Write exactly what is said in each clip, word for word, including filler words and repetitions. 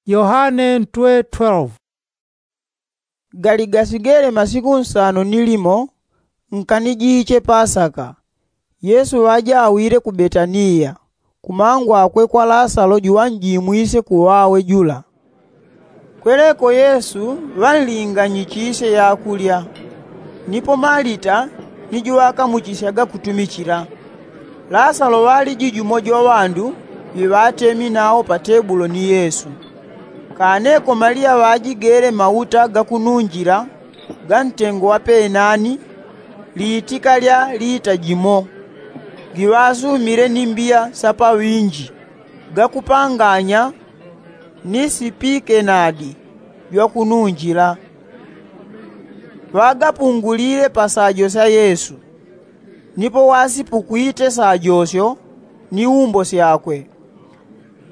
Yohane ntwe twelve. Gali gasigele masiku nsano ni limo nkanijiche pasaka. Yesu ŵajawile ku betaniya, kumangwakwe kwa lasalo juŵanjimwise kuŵawe jula. Kweleko yesu ŵanlinganyichisye yakulya. Nipo malita ni juŵakamuchisyaga kutumichila. Lasalo ŵaliji jumo jwa ŵandu ŵiŵatemi nawo pa tebulo ni yesu. Kaneko maliya ŵajigele mauta gakununjila ga ntengo wa penani liitika lya lita jimo, giŵasumile ni mbiya sa paŵinji gakupanganya ni sipikenadi jwakununjila. Ŵagapungulile pa sajo sya yesu. Nipo wasipukwite sajosyo ni umbo syakwe.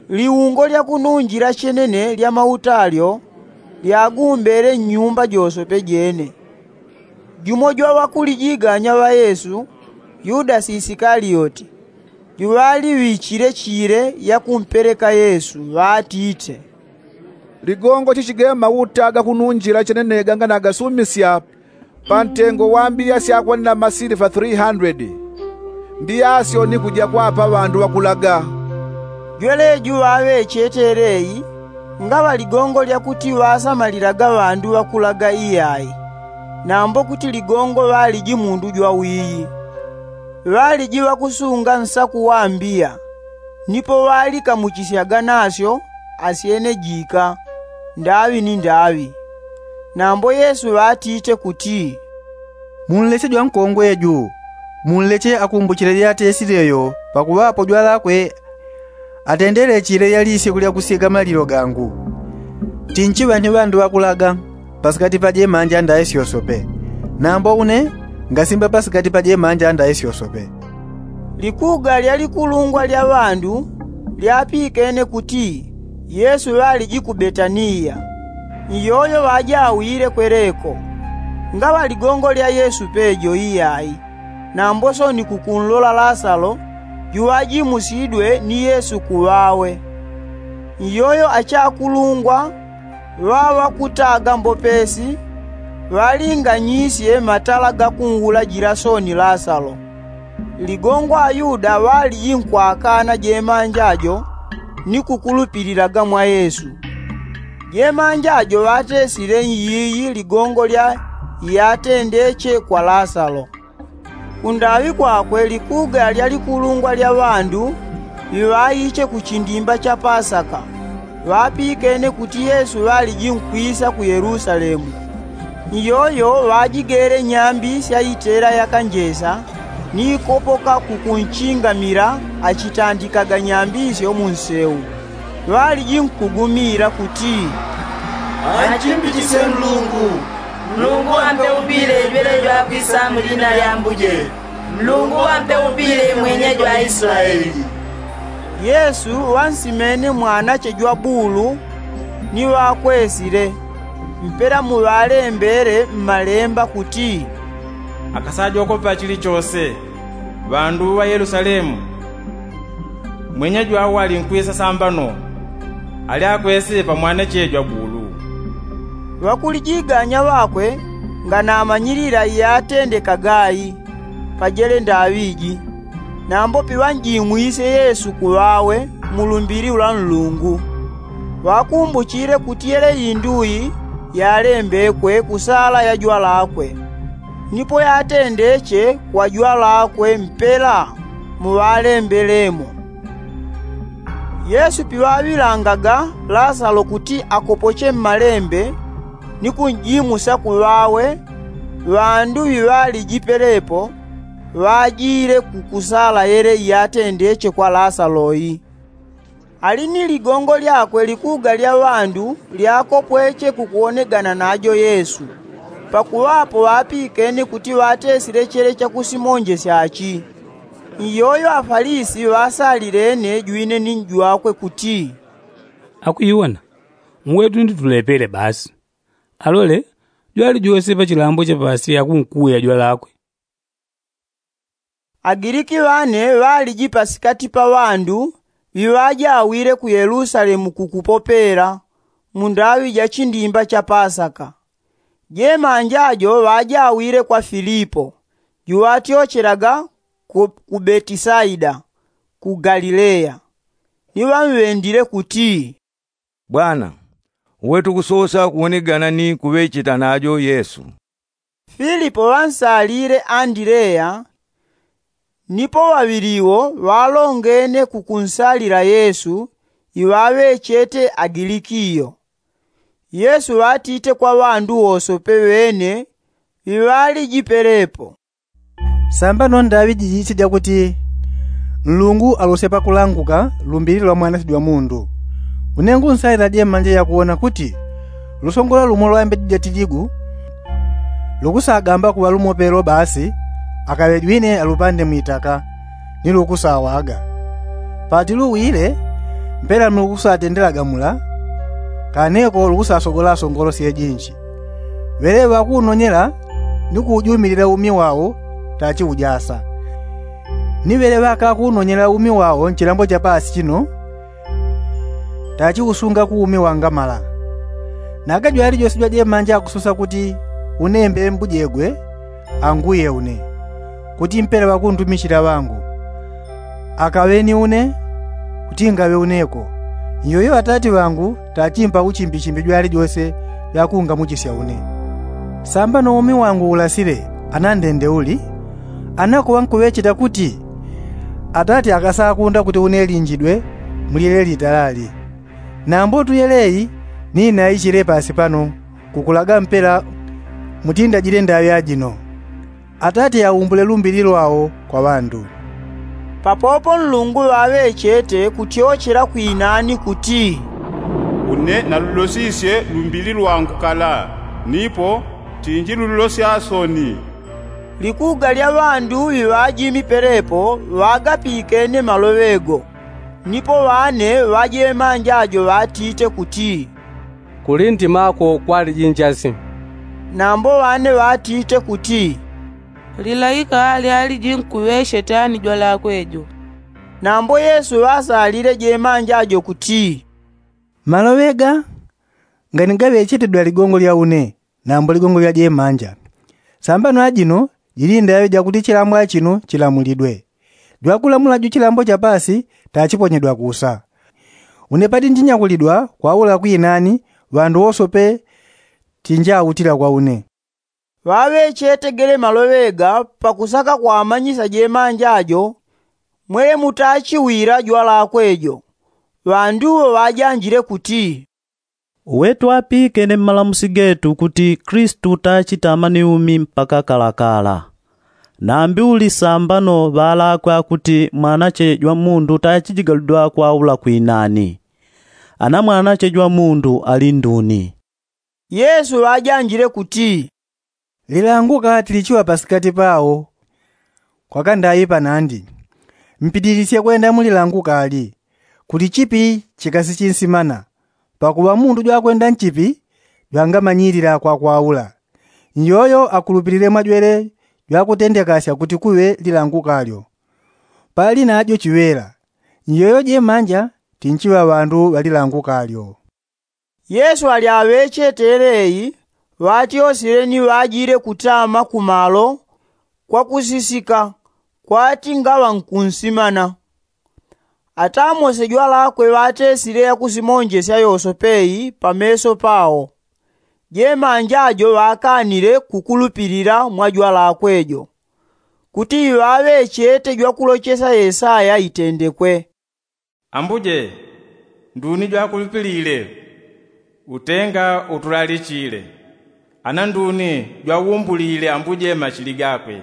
Liungo lya kununjila chenene lya mauta alyo lyagumbele nnyumba joswe pejene. Jumo jwa ŵakulijiganya ŵa yesu, yudasi isikalioti, juŵaliŵichile chile yakumpeleka yesu ŵatite, ligongo chichigema mauta gakununjila chenene ganganagasumisya pa ntengo wa mbiya syakwanila masilifa three hundred. Mbiya asyo ni kuja kwapa ŵandu ŵakulaga. Jweleju ŵaŵechete eleyi ngaŵa ligongo lya kuti ŵasamalilaga ŵandu ŵakulaga iyai, nambo kuti ligongo ŵaliji mundu jwawiyi. Ŵaliji ŵakusunga nsaku wa mbiya, nipo ŵalikamuchisyaga nasyo asyene jika ndaŵi ni ndaŵi. Nambo yesu ŵatite kuti, munleche jwankongwe ju, munleche akumbuchile lyatesile yo pakuŵapo jwalakwe atendele chile lyalisye kulya kusyega malilo gangu. Tinchiŵa ni ŵandu ŵakulaga pasikati pa jemanja ndaisyosope, nambo une ngasimba pasikati pa jemanja ndaisyosope. Likuga lya likulungwa lya ŵandu lyapikene kuti yesu ŵaliji ku betaniya. Iyoyo ŵajawile kweleko ngaŵa ligongo lya yesu pejo iyai, nambo soni kukunlola lasalo juŵajimusidwe ni yesu kuŵawe. Iyoyo achakulungwa ŵaŵakutaga mbopesi ŵalinganyisye matala gakunwulajila soni lasalo. Ligongo ayuda ŵaliji nkwakana jemanja jo ni kukulupililaga mwa yesu. Jemanja jo ŵatesile iyiyi ligongo lya iyatendeche kwa lasalo. Kundaŵi kwakwe likuga lya likulungwa lya ŵandu ŵiŵaiche ku chindimba cha pasaka ŵapikene kuti yesu ŵaliji nkwisa ku yelusalemu. Iyoyo ŵajigele nyambi sya itela yakanjesa ni ikopoka kukunchingamila achitandikaga nyambi syo mu nseu. Ŵaliji nkugumila kuti, anchimbichisye nlungu. Nlungu ampeupile jwelejo akwisa mu lina lya ambuje. Nlungu ampeupile mwenye jwa islaeli. Yesu ŵansimene mwanache jwa bulu ni ŵakwesile mpela muŵalembele mmalemba kuti, akasajokopa chilichose. Ŵandu ŵa yelusalemu, mwenye jwawo ali nkwisa sambano. Ali akwesile pa mwanache jwa bulu. Ŵakulijiganya ŵakwe nganamanyilila iyatendekaga ayi pajele ndaŵi ji. Nambo piŵanjimwise yesu kuŵawe mu lumbili lwa nlungu. Ŵakumbuchile kuti yele induyi yalembekwe ku sala ya jwalakwe, nipo yatendeche kwa jwalakwe mpela muŵalembelemo. Yesu piŵaŵilangaga lasalo kuti akopoche mmalembe ni kunjimusa kuŵawe, ŵandu ŵiŵaliji pelepo ŵajile ku kusala yele iyatendeche kwa lasalo yi. Ali ni ligongo lyakwe likuga lya ŵandu lyakopweche kukuwonegana najo yesu, pakuŵapo ŵapikene kuti ŵatesile chele chakusimonjesya achi. Iyoyo afalisi ŵasalilene jwine ni njwakwe kuti, akuiwona, mwetu ndi tulepele basi. Alole, jwali jose pa chilambo cha pasi akunkuya jwalakwe. Agiliki ŵane ŵaliji pasikati pa ŵandu ŵiŵajawile ku yelusalemu kukupopela. Mundaŵi ja chindimba cha pasaka. Jemanja jo ŵajawile kwa filipo, juŵatyochelaga ku betisaida ku galilea. Ni ŵamŵendile kuti, bwana, uwe tukusosa kuwonegana ni kuŵecheta najo yesu. Filipo ŵansalile andilea. Nipo ŵaŵili wo ŵalongene kukunsalila yesu iŵaŵechete agilikiyo. Yesu ŵatite kwa ŵandu wosope ŵene ŵiŵaliji pelepo, sambano ndaŵi jijisye jakuti nlungu alosye pakulanguka lumbili lwa mwanasye jwa mundu. Une ngunsalila jemanja yakuwona kuti lusongolo lumo lwa mbeji ja tiligu lukusagamba kuŵa lumo pelo basi, akaŵe jwine alupande mwitaka ni lukusawaga. Pati luwile mpela mlukusatendelaga mula, kaneko lukusasogola asongolo syejinji. Ŵele ŵakuunonyela ni kuujumilila umi wao tachiujasa. Ni ŵele ŵakakuunonyela umi wao nchilambo cha pasi chino tachiusunga ku umi wangamala. Naga jwali jwese jwajemanja akusosa kuti unembe mbujegwe anguye une, kuti mpela ŵakundumichila ŵangu akaŵeni une, kuti ngaŵe uneko. Nyoyo atati ŵangu tachimpa uchimbichimbi jwali jose jwakungamuchisya une. Sambano umi wangu ulasile anandende uli, anakuŵa nkuŵecheta kuti atati akasakunda kuti une linjidwe mulyele litalali. Nambo tuyeleyi ni naichile pasi pano kukulaga mpela mutindajile ndaŵi ajino. Atati aumbule lumbili lwao kwa ŵandu. Papopo nlungu ŵaŵechete kutyochela kwinani kuti, une nalulosisye lumbili lwangu kala, nipo tinjilululosya soni. Likuga lya ŵandu ŵiŵajimi pelepo ŵagapikene maloŵe go. Nipo ŵane ŵajemanja jo ŵatite kuti, kuli ntima ko kwaliji njasi. Nambo ŵane ŵatite kuti, lilaika lyaliji nkuŵecheta ni jwalakwe jo. Nambo yesu ŵasalile jemanja jo kuti, maloŵe ga ngani gaŵechete jwaligongo lya une, nambo ligongo lya jemanja. Sambano ajino jili ndaŵi jakuti chilambo achino chilamulidwe. Jwakulamula ju chilambo cha pasi tachiponyedwa kusa. Une pati njinyakulidwa kwaula kwinani ŵandu wosope tinjautila kwa une. Ŵaŵechetegele maloŵe ga pakusaka kwamanyisya jemanja jo mwele mutachiwila jwalakwe jo. Ŵandu wo ŵajanjile kuti, uwe twapikene mmalamusi getu kuti kristu tachitama ni umi mpaka kalakala. Nambi uli sambano ŵalakwe akuti mwanache jwa mundu tachijigaludwa kwaula kwinani. Ana mwanache jwa mundu ali nduni? Yesu ŵajanjile kuti, lilanguka tilichiŵa pasikati pao. Kwakandaipa nandi mpitilisye kwenda mulilanguka ali kuti chipi chikasichinsimana. Pakuŵa mundu jwakwenda nchipi jwangamanyilila kwakwaula. Nyoyo akulupilile mwajwele jwakutendekasya kuti kuŵe lilanguka lyo. Pali najo chiŵela. Nyoyo jemanja tinchiŵa ŵandu ŵalilanguka lyo. Yesu ali aŵechete eleyi ŵatyosile ni ŵajile kutama kumalo kwakusisika kwati ngaŵa nkunsimana. Atamose jwalakwe ŵatesile yakusimonjesya yosope iyi pameso pao. Jemanja jo ŵakanile kukulupilila mwa jwalakwe jo kuti iŵaŵechete jwakulochesya yesaya itendekwe. Ambuje, nduni jwakulupilile? Utenga utulalichile. Ana nduni jwaumbulile ambuje machili gakwe?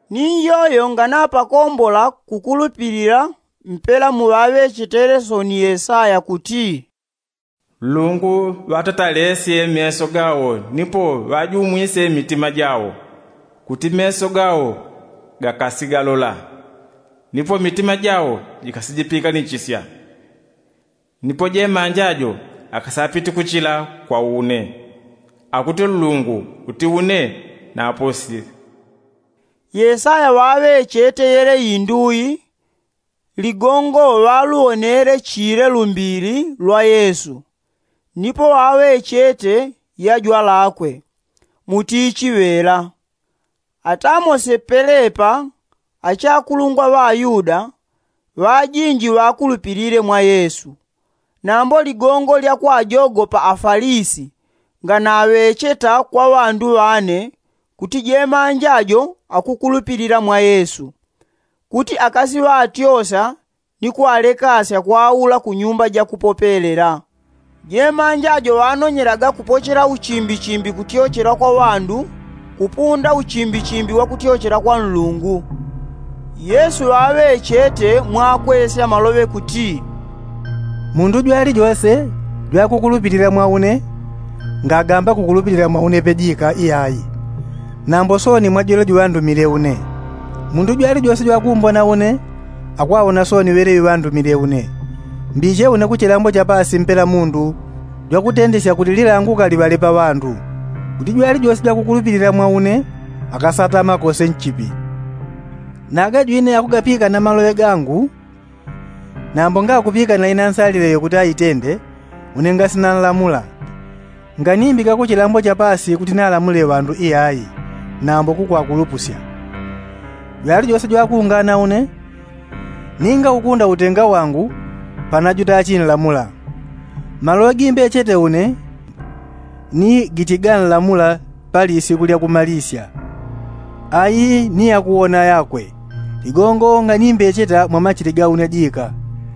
Ni iyoyo nganapakombola kukulupilila mpela muŵaŵechetele soni yesaya kuti, nlungu ŵatatalesye meso gawo nipo ŵajumwisye mitima jawo, kuti meso gawo gakasigalola nipo mitima jawo jikasijipikanichisya. Nipo jemanja jo akasapiti kuchila kwa une. Akuti nlungu kuti une naposi. Yesaya ŵaŵechete yele indui ligongo ŵaluwonele chile lumbili lwa yesu. Nipo ŵaŵechete yajwalakwe mutichi ŵela. Atamose pelepa achakulungwa ŵa ayuda ŵajinji ŵakulupilile mwa yesu. Nambo ligongo lya kwajogopa afalisi nganaŵecheta kwa ŵandu ŵane kuti jemanja jo akukulupilila mwa yesu, kuti akasiŵatyosa ni kwalekasya kwaula ku nyumba ja kupopelela. Jemanja jo ŵanonyelaga kupochela uchimbichimbi kutyochela kwa ŵandu kupunda uchimbichimbi wa kutyochela kwa nlungu. Yesu ŵaŵechete mwakwesya maloŵe kuti, mundu jwalijose jwakukulupilila mwa une ngagamba kukulupilila mwa une pejika iyayi, nambo sooni mwa jwele juŵandumile une. Mundu jwalijose jwakumbona une akwawona sooni ŵele iŵandumile une. Mbiche une ku chilambo cha paasi mpela mundu jwakutendesya kuti lilanguka liŵale pa ŵandu, kuti jwalijose jwakukulupilila mwa une akasatama kose nchipi. Naga jwine akugapikana maloŵe gangu, nambo ngakupikana ina nsalile yo kuti aitende, une ngasina nlamula. Nganimbika ku chilambo cha paasi kuti nalamule ŵandu iyayi, nambo kukwakulupusya. Jwalijose jwakungana une, ninga ukunda utenga wangu panajuta achinlamula. Maloŵe gimbechete une ni gichiganlamula pali isiku lya kumalisya. Ayi ni yakuwona yakwe. Ligongo nganimbecheta mwa machili ga une jika,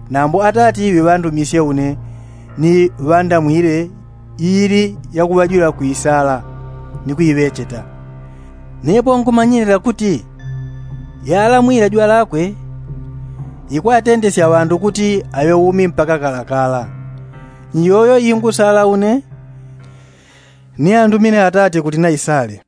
nambo atati ŵiŵandumisye une ni ŵandamwile iili yakuŵajula kwisala ni kuiŵecheta. Nepo nkumanyilila kuti yalamwile jwalakwe ikwatendesya ŵandu kuti aŵe umi mpaka kalakala. Nyoyo ingusala une ni andumile atati kuti naisale.